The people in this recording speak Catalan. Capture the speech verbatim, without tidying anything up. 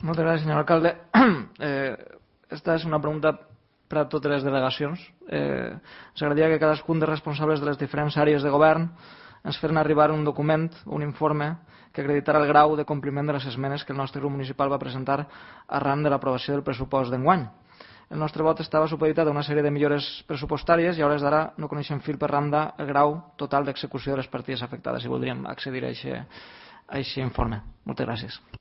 Moltes gràcies, senyor alcalde. Eh, esta és una pregunta per a totes les delegacions. Eh, ens agradaria que cadascun dels responsables de les diferents àrees de govern ens feren arribar un document, un informe, que acreditara el grau de compliment de les esmenes que el nostre grup municipal va presentar arran de l'aprovació del pressupost d'enguany. El nostre vot estava supeditat a una sèrie de millores pressupostàries i a hores d'ara no coneixem fil per randa el grau total d'execució de les partides afectades i voldríem accedir a aquest informe. Moltes gràcies.